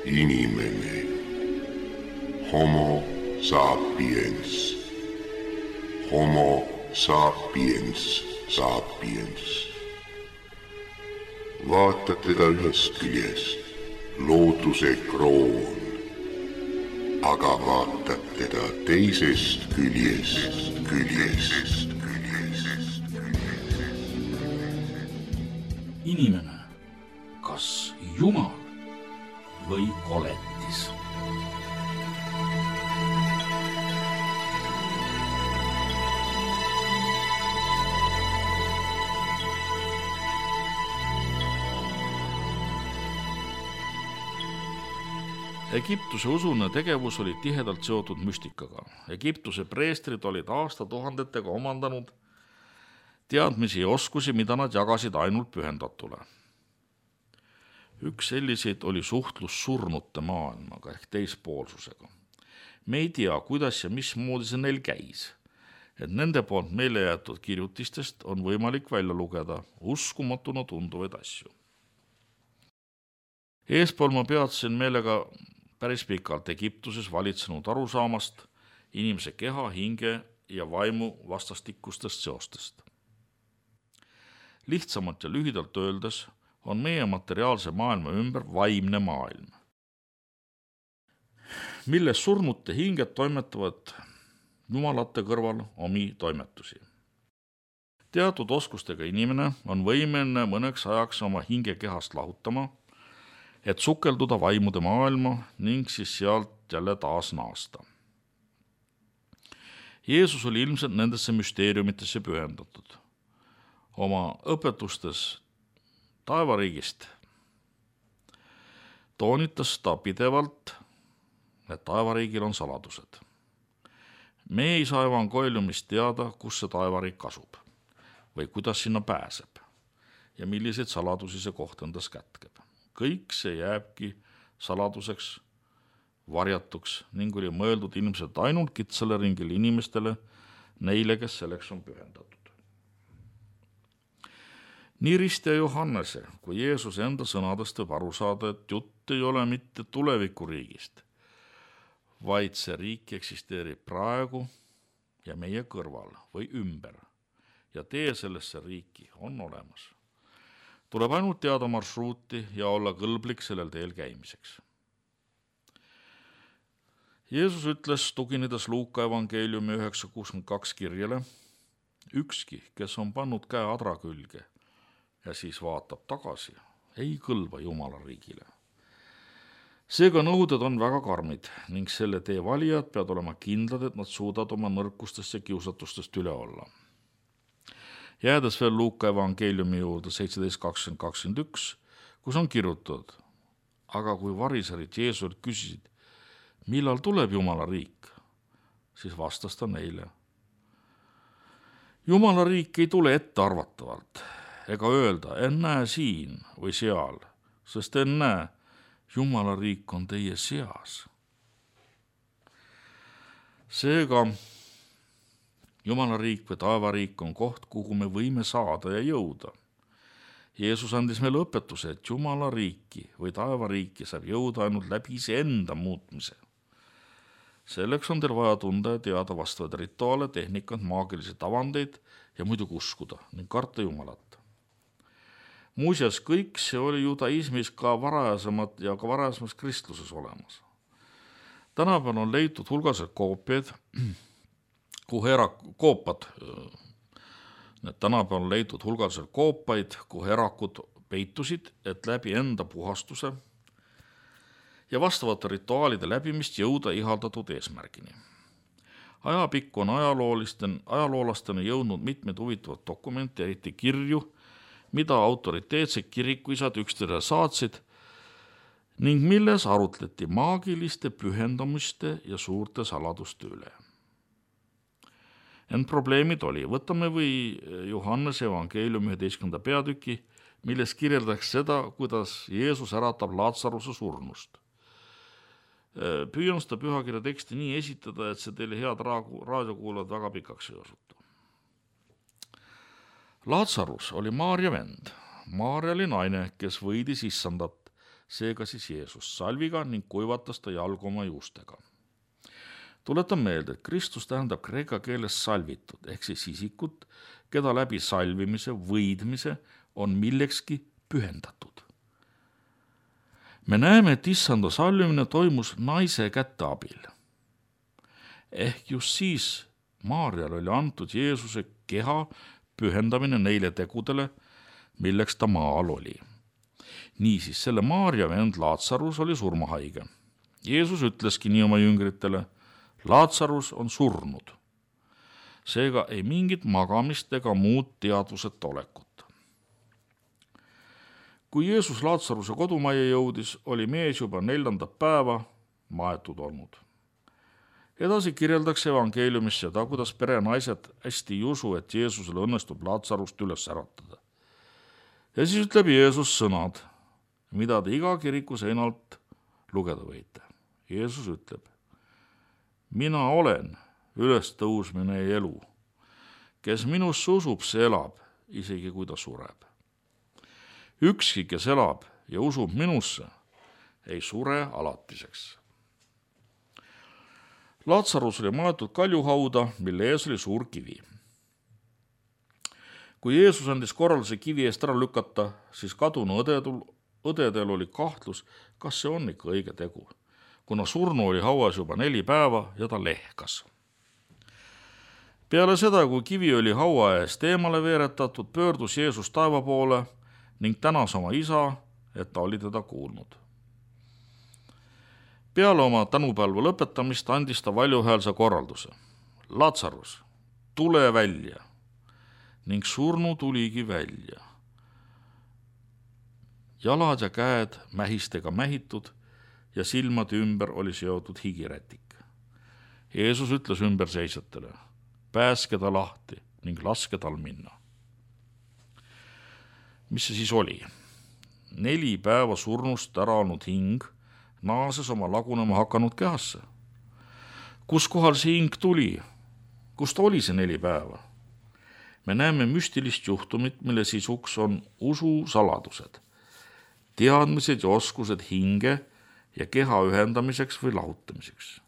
inimene, homo sapiens, homo sapiens sapiens. Vaatad teda ühest küljest, looduse kroon, aga vaatad teda teisest küljest. Inimene, kas Jumal või koletis? Egiptuse usune tegevus oli tihedalt seotud müstikaga. Egiptuse preestrid olid aastatuhandetega omandanud teadmisi ja oskusi, mida nad jagasid ainult pühendatule. Üks selliseid oli suhtlus surnute maailmaga ehk teispoolsusega. Me ei tea, kuidas ja mismoodi see neil käis, et nende poolt meile jäetud kirjutistest on võimalik välja lugeda uskumatuna tunduvaid asju. Eespool ma peatsin meelega päris pikalt Egiptuses valitsenud arusaamast inimese keha, hinge ja vaimu vastastikustest seostest. Lihtsamalt ja lühidalt öeldes on meie materiaalse maailma ümber vaimne maailm, milles surnute hinged toimetavad jumalate kõrval omi toimetusi. Teatud oskustega inimene on võimeline mõneks ajaks oma hinge kehast lahutama, et sukelduda vaimude maailma ning siis sealt jälle taas naasta. Jeesus oli ilmselt nendesse müsteeriumitesse pühendatud. Oma õpetustes taevariigist toonitas ta pidevalt, et taevariigil on saladused. Me ei saa evangeeliumist teada, kus see taevariik asub või kuidas sinna pääseb ja milliseid saladusi see koht endas kätkeb. Kõik see jääbki saladuseks, varjatuks ning oli mõeldud ilmselt ainult kitsale ringile inimestele, neile, kes selleks on pühendatud. Nii Ristja Johannese kui Jeesuse enda sõnadest võib aru saada, et jutt ei ole mitte tulevikuriigist, vaid see riik eksisteerib praegu ja meie kõrval või ümber ja tee sellesse riiki on olemas. Tuleb ainult teada marsruuti ja olla kõlblik sellel teel käimiseks. Jeesus ütles, tuginedes Luuka evangeeliumi 9:62 kirjale, ükski, kes on pannud käe adra külge ja siis vaatab tagasi, ei kõlba Jumala riigile. Seega nõuded on väga karmid ning selle tee valijad peavad olema kindlad, et nad suudavad oma nõrkustest ja kiusatustest üle olla. Jäädes veel Luuka evangeeliumi juurde 17:20-21, kus on kirjutatud, aga kui variserid Jeesuselt küsisid, millal tuleb Jumala riik, siis vastas ta neile. Jumala riik ei tule ettearvatavalt ega öelda, ennäe siin või seal, sest ennäe, Jumala riik on teie seas. Seega Jumala riik või taevariik on koht, kuhu me võime saada ja jõuda. Jeesus andis meile õpetuse, et Jumala riiki või taevariiki saab jõuda ainult läbi iseenda muutmise. Selleks on teil vaja tunda ja teada vastavaid rituaale, tehnikat, maagilisi tavandeid ja muidugi uskuda ning karta Jumalat. Muuseas, kõik see oli judaismis ka varasemas kristluses olemas. Tänapäeval on leitud hulgased koopiad, tänapäeval on leitud hulgaliselt koopaid, kuhu erakud peitusid, et läbi enda puhastuse ja vastavate rituaalide läbimist jõuda ihaldatud eesmärgini. Ajapikku on ajaloolastena jõudnud mitmed huvitavad dokumenti, eriti kirju, mida autoriteetsed kirikuisad üksteisele saatsid ning milles arutleti maagiliste pühendamiste ja suurte saladuste üle. Ent probleemid oli. Võtame või Johannese evangeeliumi 11. peatüki, milles kirjeldatakse seda, kuidas Jeesus äratab Laatsaruse surnust. Püüan seda pühakirja teksti nii esitada, et see teile head raadiokuulajad väga pikaks ei osutu. Laatsarus oli Maarja vend. Maarja oli naine, kes võidis issandat, seega siis Jeesus salviga ning kuivatas ta jalgu oma juustega. Tuletan meelde, et Kristus tähendab kreeka keeles salvitud, ehk siis isikut, keda läbi salvimise, võidmise on millekski pühendatud. Me näeme, et issanda salvimine toimus naise käte abil. Ehk just siis Maarjal oli antud Jeesuse keha pühendamine neile tegudele, milleks ta maal oli. Niisiis, selle Maarja vend Laatsarus oli surmahaige. Jeesus ütleski nii oma jüngritele: Laatsarus on surnud. Seega ei mingit magamist ega muud teadvuseta olekut. Kui Jeesus Laatsaruse kodumajja jõudis, oli mees juba 4. päeva maetud olnud. Edasi kirjeldakse evangeeliumis seda, kuidas perenaised hästi ei usu, et Jeesusele õnnestub Laatsarust üles äratada. Ja siis ütleb Jeesus sõnad, mida te iga kiriku seinalt lugeda võite. Jeesus ütleb: mina olen ülestõusmine ja elu. Kes minusse usub, see elab, isegi kui ta sureb. Ükski, kes elab ja usub minusse, ei sure alatiseks. Laatsarus oli maetud kaljuhauda, mille ees oli suur kivi. Kui Jeesus andis korralduse kivi eest ära lükata, siis kadunu õdedel oli kahtlus, kas see on ikka õige tegu, kuna surnu oli hauas juba 4 päeva ja ta lehkas. Peale seda, kui kivi oli haua eest eemale veeretatud, pöördus Jeesus taeva poole ning tänas oma isa, et ta oli teda kuulnud. Peale oma tänupalve lõpetamist andis ta valjuhäälse korralduse: Laatsarus, tule välja! Ning surnu tuligi välja. Jalad ja käed mähistega mähitud ja silmade ümber oli seotud higirätik. Jeesus ütles ümberseisjatele: pääske ta lahti ning laske tal minna. Mis see siis oli? 4 päeva surnust ära olnud hing naases oma lagunema hakanud kehasse. Kus kohal see hing tuli? Kus ta oli see 4 päeva? Me näeme müstilist juhtumit, mille sisuks on usu saladused, teadmised ja oskused hinge ja keha ühendamiseks või lahutamiseks.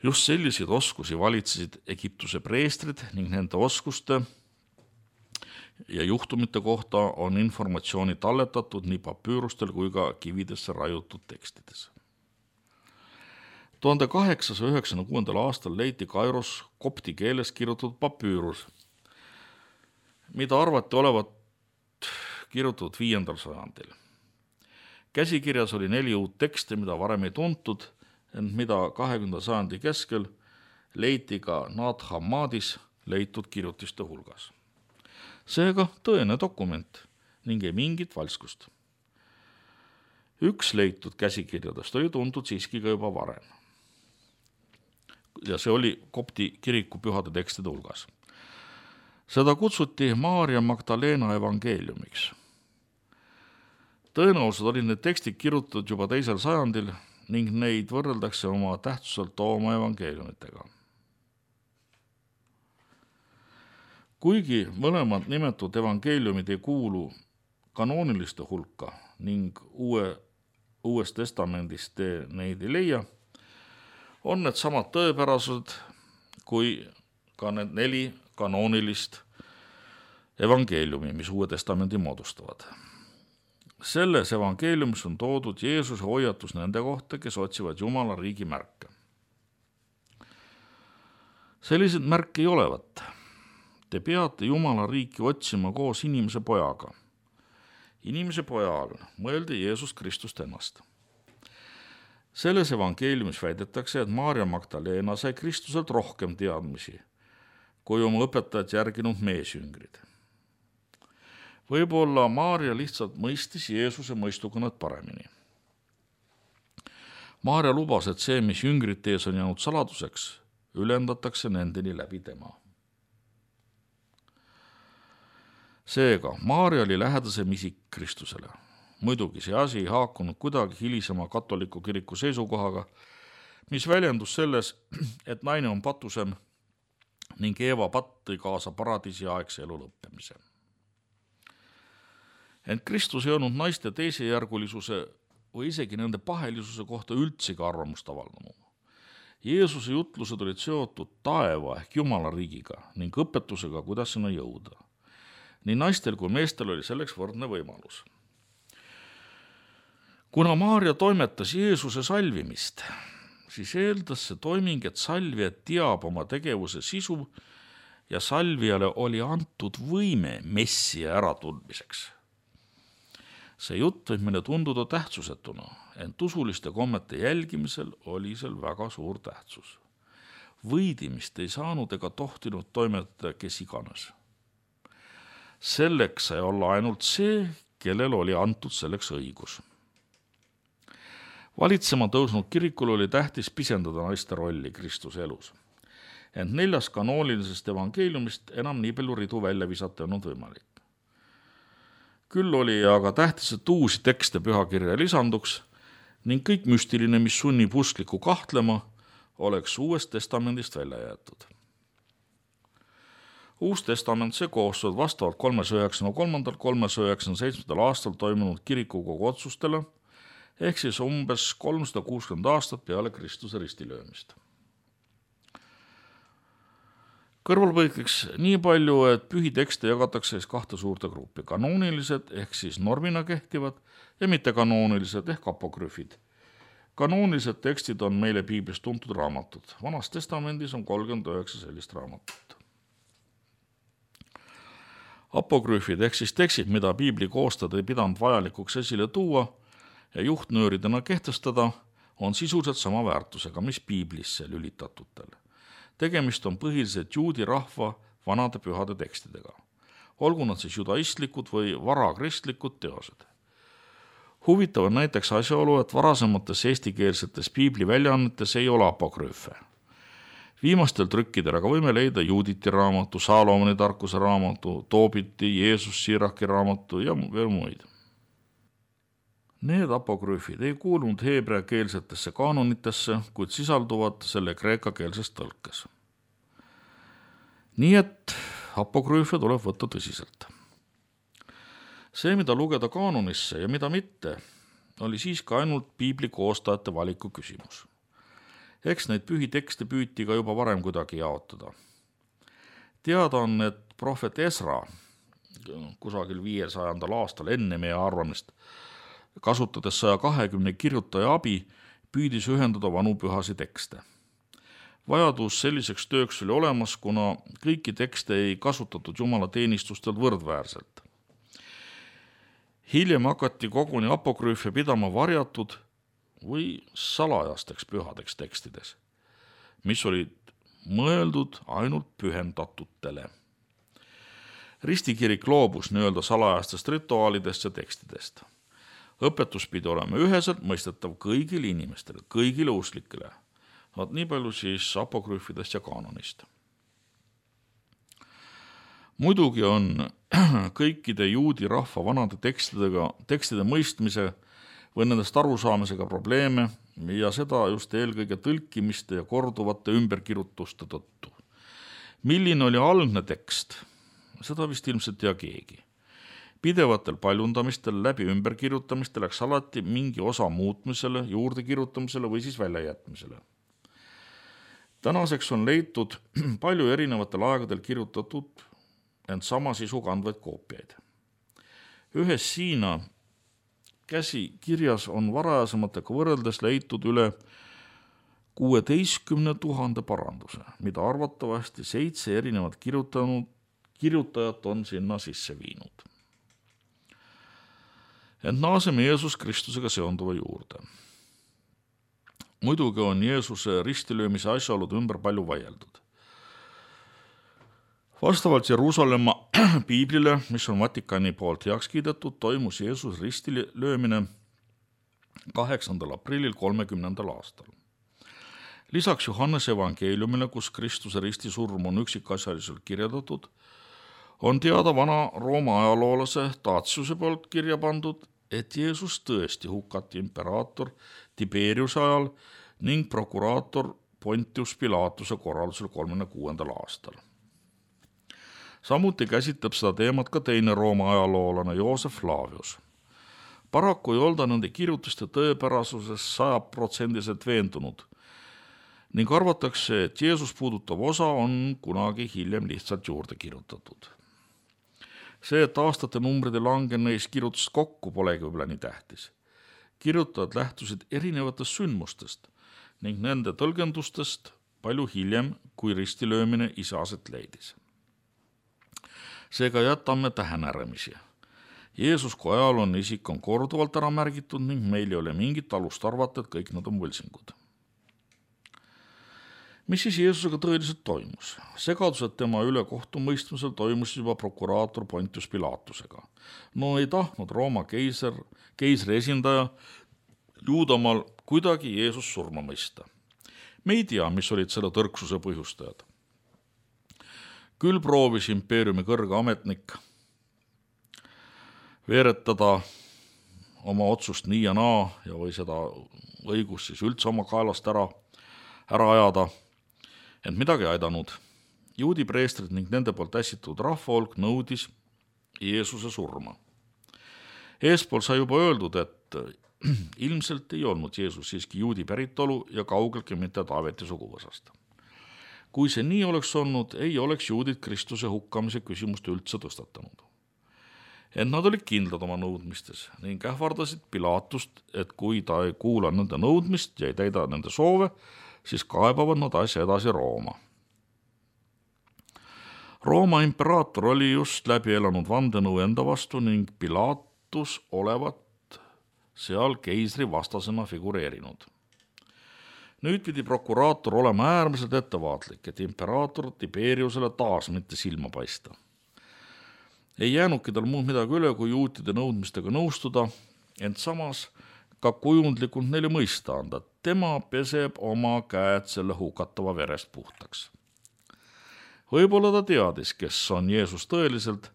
Just selliseid oskusi valitsesid Egiptuse preestrid ning nende oskuste ja juhtumite kohta on informatsiooni talletatud nii papüürustel kui ka kividesse raiutud tekstides. 1896. aastal leiti Kairos kopti keeles kirjutatud papüürus, mida arvati olevat kirjutatud 5. sajandil. Käsikirjas oli 4 uut teksti, mida varem ei tuntud, ent mida 20. sajandi keskel leiti ka Nag Hammadis leitud kirjutiste hulgas. Seega tõene dokument ning ei mingit valskust. Üks leitud käsikirjadest oli tuntud siiski ka juba varem. Ja see oli kopti kiriku pühade tekstide hulgas. Seda kutsuti Maarja Magdalena evangeeliumiks. Tõenäoliselt olid need tekstid kirjutatud juba 2. sajandil ning neid võrreldakse oma tähtsuselt oma evangeeliumitega. Kuigi mõlemad nimetatud evangeeliumid ei kuulu kanooniliste hulka ning Uues testamendis te neid ei leia, on need samad tõepärased kui ka need 4 kanoonilist evangeeliumi, mis Uue testamendi moodustavad. Selles evangeeliumis on toodud Jeesuse hoiatus nende kohta, kes otsivad Jumala riigi märke. Sellised märke ei olevat. Te peate Jumala riiki otsima koos inimese pojaga. Inimese poja all mõeldi Jeesus Kristust ennast. Selles evangeeliumis väidetakse, et Maarja Magdalena sai Kristuselt rohkem teadmisi, kui oma õpetajat järginud meesjüngrid. Võib-olla Maarja lihtsalt mõistis Jeesuse mõistukõnet paremini. Maarja lubas, et see, mis jüngrite ees on jäänud saladuseks, ülendatakse nendeni läbi tema. Seega, Maarja oli lähedasem isik Kristusele. Muidugi see asi ei haakunud kuidagi hilisema katoliku kiriku seisukohaga, mis väljendus selles, et naine on patusem ning Eeva patt tõi kaasa paradiisi aegse elu lõppemise. Ent Kristus ei olnud naiste teisejärgulisuse või isegi nende pahelisuse kohta üldsegi arvamust avaldanud. Jeesuse jutlused olid seotud taeva ehk Jumala riigiga ning õpetusega, kuidas sinna jõuda. Nii naistel kui meestel oli selleks võrdne võimalus. Kuna Maarja toimetas Jeesuse salvimist, siis eeldas see toiming, et salvija teab oma tegevuse sisu ja salvijale oli antud võime Messia äratundmiseks. See jutt võib meile tunduda tähtsusetuna, ent usuliste kommete jälgimisel oli seal väga suur tähtsus. Võidimist ei saanud ega tohtinud toimetada kes iganes. Selleks sai olla ainult see, kellel oli antud selleks õigus. Valitsema tõusnud kirikul oli tähtis pisendada naiste rolli Kristuse elus. Ent 4 kanoonilisest evangeeliumist enam nii palju ridu välja visata olnud võimalik. Küll oli aga tähtis, et uusi tekste pühakirja lisanduks ning kõik müstiline, mis sunnib usklikku kahtlema, oleks Uuest testamendist välja jäetud. Uus testament see koostud vastavalt 393. 397. aastal toimunud kirikukogu otsustele, ehk siis umbes 360 aastat peale Kristuse ristilöömist. Kõrvalpõikeks nii palju, et pühitekste jagatakse 2 suurte gruppi, kanoonilised ehk siis normina kehtivad ja mittekanoonilised ehk apokrüfid. Kanoonilised tekstid on meile piiblis tuntud raamatud. Vanas testamendis on 39 sellist raamatut. Apokrüfid ehk siis tekstid, mida piibli koostajad ei pidanud vajalikuks esile tuua ja juhtnööridena kehtestada, on sisuliselt sama väärtusega, mis piiblisse lülitatutel. Tegemist on põhiliselt juudi rahva vanade pühade tekstidega. Olgu nad siis judaistlikud või varakristlikud teosed. Huvitav on näiteks asjaolu, et varasemates eestikeelsetes piibli väljaannetes ei ole apokrüüfe. Viimastel trükkidel aga võime leida Juuditi raamatu, Saalomoni tarkuse raamatu, Toobiti, Jeesus Siraki raamatu ja veel muid. Need apokrüüfid ei kuulunud heebreakeelsetesse kaanonitesse, kuid sisalduvad selle kreekakeelses tõlkes. Nii et apokrüüfe tuleb võtta tõsiselt. See, mida lugeda kaanonisse ja mida mitte, oli siiski ainult piibli koostajate valiku küsimus. Eks neid pühitekste püüti ka juba varem kuidagi jaotada. Teada on, et prohvet Esra kusagil 500. aastal enne meie arvamist kasutades 120 kirjutaja abi, püüdis ühendada vanu pühasi tekste. Vajadus selliseks tööks oli olemas, kuna kõiki tekste ei kasutatud Jumala teenistustel võrdväärselt. Hiljem hakati koguni apokrüüfe pidama varjatud või salajasteks pühadeks tekstides, mis olid mõeldud ainult pühendatutele. Ristikirik loobus nii-öelda salajastest rituaalidest ja tekstidest. Õpetus pidi olema üheselt mõistetav kõigile inimestele, kõigile usklikele. Vaat nii palju siis apokrüüfidest ja kaanonist. Muidugi on kõikide juudi rahva vanade tekstide mõistmise või nendest arusaamisega probleeme ja seda just eelkõige tõlkimiste ja korduvate ümberkirjutuste tõttu. Milline oli algne tekst? Seda vist ilmselt tea keegi. Pidevatel paljundamistel läbi ümberkirjutamiste läks alati mingi osa muutmisele, juurde kirjutamisele või siis väljajätmisele. Tänaseks on leitud palju erinevatel aegadel kirjutatud ent sama sisu kandvaid koopiaid. Ühes Siina käsikirjas on varajasematega võrreldes leitud üle 16 000 paranduse, mida arvatavasti 7 erinevat kirjutajat on sinna sisse viinud. Ent naaseme Jeesus Kristusega seonduva juurde. Muidugi on Jeesuse ristilöömise asjaolud ümber palju vaieldud. Vastavalt Jeruusalemma piiblile, mis on Vatikani poolt heaks kiidetud, toimus Jeesus ristilöömine 8. aprillil 30. aastal. Lisaks Johannese evangeeliumile, kus Kristuse ristisurm on üksikasjaliselt kirjeldatud, on teada vana Rooma ajaloolase Tatsiuse poolt kirja pandud, et Jeesus tõesti hukati imperaator Tiberiuse ajal ning prokuraator Pontius Pilatuse korraldusel 36. aastal. Samuti käsitleb seda teemat ka teine Rooma ajaloolane Joosef Flavius. Paraku ei olda nende kirjutiste tõepärasuses 100% veendunud ning arvatakse, et Jeesus puudutav osa on kunagi hiljem lihtsalt juurde kirjutatud. See, et aastate numbrid ei lange neis kirjutust kokku, polegi võib-olla nii tähtis. Kirjutajad lähtusid erinevatest sündmustest ning nende tõlgendustest palju hiljem, kui ristilöömine ise aset leidis. Seega jätame tähenäремisi. Jeesus kui ajalooline isik on korduvalt ära märgitud ning meil ei ole mingit alust arvata, et kõik nad on võltsingud. Mis siis Jeesusega tõeliselt toimus? Segadused tema üle kohtumõistmisel toimus juba prokuraator Pontius Pilatusega. No ei tahtnud Rooma keisri esindaja Juudamaal kuidagi Jeesus surma mõista. Me ei tea, mis olid selle tõrksuse põhjustajad. Küll proovis impeeriumi kõrge ametnik veeretada oma otsust nii ja naa ja või seda õigust siis üldse oma kaelast ära ajada, ent midagi aidanud. Juudi preestrid ning nende poolt ässitud rahvahulk nõudis Jeesuse surma. Eespool sai juba öeldud, et ilmselt ei olnud Jeesus siiski juudi päritolu ja kaugeltki mitte Taaveti suguvõsast. Kui see nii oleks olnud, ei oleks juudid Kristuse hukkamise küsimust üldse tõstatanud. Ent nad olid kindlad oma nõudmistes ning ähvardasid Pilatust, et kui ta ei kuula nende nõudmist ja ei täida nende soove, siis kaebavad nad asja edasi Rooma. Rooma imperaator oli just läbi elanud vandenõu enda vastu ning Pilatus olevat seal keisri vastasena figureerinud. Nüüd pidi prokuraator olema äärmiselt ettevaatlik, et imperaator Tiberiusele taas mitte silma paista. Ei jäänudki tal muud midagi üle, kui juutide nõudmistega nõustuda, ent samas ka kujundlikult neile mõista anda, et tema peseb oma käed selle hukatava verest puhtaks. Võib-olla ta teadis, kes on Jeesus tõeliselt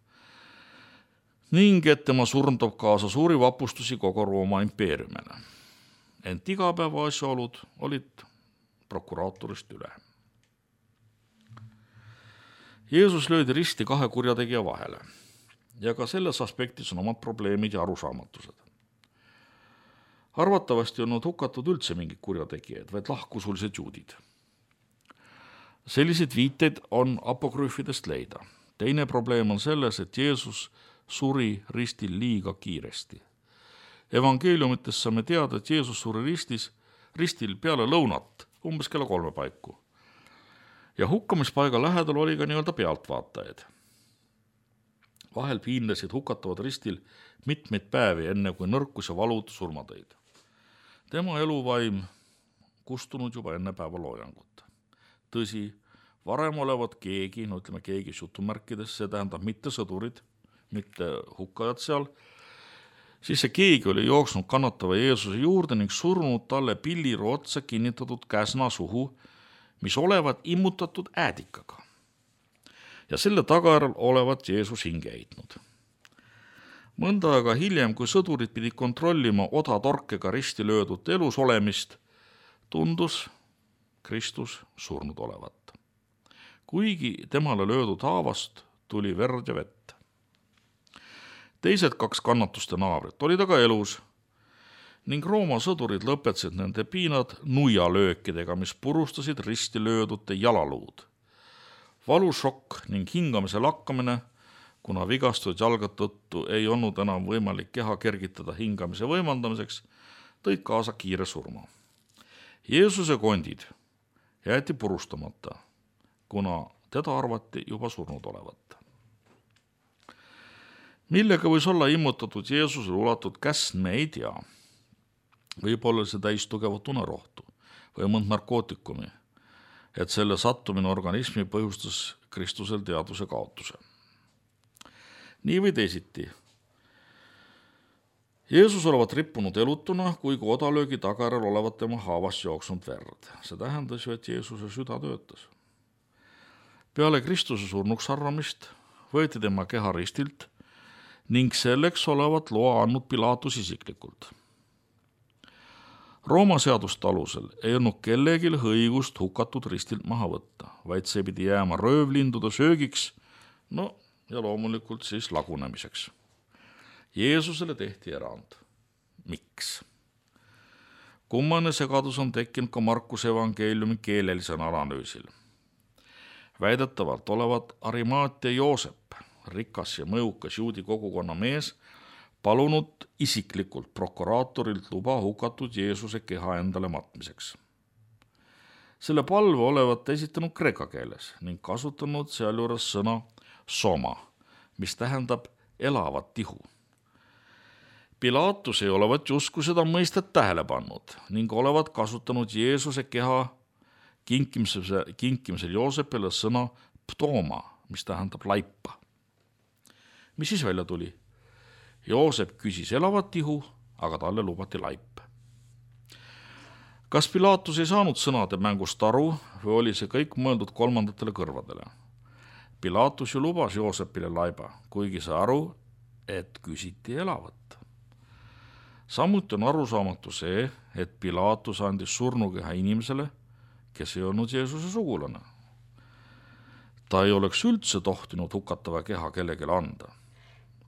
ning et tema surm toob kaasa suuri vapustusi kogu Rooma impeeriumile. Ent igapäeva asjaolud olid prokuraatorist üle. Jeesus löödi risti kahe kurjategija vahele ja ka selles aspektis on omad probleemid ja arusaamatused. Arvatavasti on nad hukatud üldse mingid kurjategijaid, vaid lahkusulised juudid. Selliseid viiteid on apokrüüfidest leida. Teine probleem on selles, et Jeesus suri ristil liiga kiiresti. Evangeeliumites saame teada, et Jeesus suri ristil peale lõunat, umbes kella 3 paiku. Ja hukkamispaiga lähedal oli ka nii-öelda pealtvaatajaid. Vahel piinlesid hukatavad ristil mitmeid päevi, enne kui nõrkus ja valud surma tõid. Tema eluvaim kustunud juba enne päeva loojangut. Tõsi, varem olevat keegi, keegi jutumärkides, see tähendab mitte sõdurid, mitte hukkajad seal, siis see keegi oli jooksnud kannatava Jeesuse juurde ning surnud talle pilliru otsa kinnitatud käsna suhu, mis olevat immutatud äädikaga. Ja selle tagajärjel olevat Jeesus hinge heitnud. Mõnda aega hiljem, kui sõdurid pidi kontrollima odatorkega risti löödud elus olemist, tundus Kristus surnud olevat. Kuigi temale löödud haavast tuli verd ja vett. Teised 2 kannatuste naabrit olid aga elus ning Rooma sõdurid lõpetasid nende piinad nuialöökidega, mis purustasid risti löödute jalaluud. Valušokk ning hingamise lakkamine, kuna vigastunud jalga tõttu ei olnud enam võimalik keha kergitada hingamise võimaldamiseks, tõid kaasa kiire surma. Jeesuse kondid jäeti purustamata, kuna teda arvati juba surnud olevat. Millega võis olla immutatud Jeesusele ulatud käsn, me ei tea. Võib-olla see täis tugevat unerohtu või mõnd narkootikumi, et selle sattumine organismi põhjustas Kristusel teadvuse kaotuse. Nii või teisiti. Jeesus olevat rippunud elutuna, kui odalöögi tagajärjel olevat tema haavast jooksnud verd. See tähendas ju, et Jeesuse süda töötas. Peale Kristuse surnuks arvamist võeti tema keha ristilt ning selleks olevat loa andnud Pilatus isiklikult. Rooma seaduste alusel ei olnud kellegil õigust hukatud ristilt maha võtta, vaid see pidi jääma röövlindude söögiks No ja loomulikult siis lagunemiseks. Jeesusele tehti erand. Miks? Kummaline segadus on tekkinud ka Markuse evangeeliumi keelelisel analüüsil. Väidetavalt olevat Arimaatia Joosep, rikas ja mõjukas juudi kogukonna mees, palunud isiklikult prokuraatorilt luba hukatud Jeesuse keha endale matmiseks. Selle palve olevat esitanud kreeka keeles ning kasutanud sealjuures sõna soma, mis tähendab elavat tihu. Pilaatus ei olevat justkui seda mõistet tähele pannud ning olevat kasutanud Jeesuse keha kinkimisel Joosepile sõna ptooma, mis tähendab laipa. Mis siis välja tuli? Joosep küsis elavat tihu, aga talle lubati laip. Kas Pilaatus ei saanud sõnade mängust aru või oli see kõik mõeldud kolmandatele kõrvadele? Pilaatus ju lubas Joosepile laiba, kuigi sai aru, et küsiti elavat. Samuti on arusaamatu see, et Pilaatus andis surnukeha inimesele, kes ei olnud Jeesuse sugulane. Ta ei oleks üldse tohtinud hukatava keha kellelegi anda.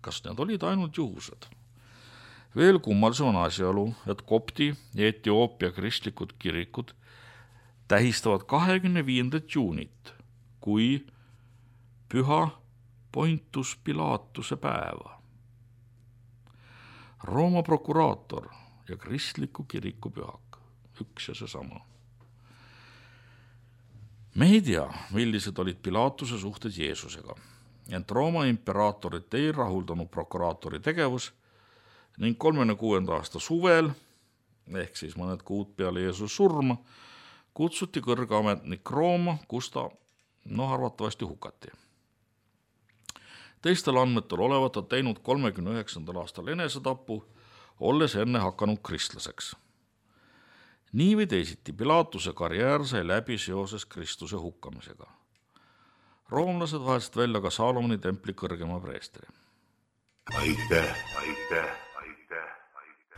Kas need olid ainult juhused? Veel kummalisem on asjaolu, et kopti ja Etioopia kristlikud kirikud tähistavad 25. juunit kui püha Pontius Pilatuse päeva. Rooma prokuraator ja kristliku kiriku pühak, üks ja seesama. Me ei tea, millised olid Pilatuse suhted Jeesusega, ent Rooma imperaatorit ei rahuldanud prokuraatori tegevus ning 36. aasta suvel, ehk siis mõned kuud peale Jeesuse surma, kutsuti kõrge ametnik Rooma, kus ta arvatavasti hukati. Teistel andmetel olevat ta teinud 39. aastal enesetapu, olles enne hakanud kristlaseks. Nii või teisiti Pilatuse karjäär sai läbi seoses Kristuse hukkamisega. Roomlased vahesid välja ka Saalomoni templi kõrgema preestri. Aitäh,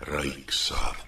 Raiksaart.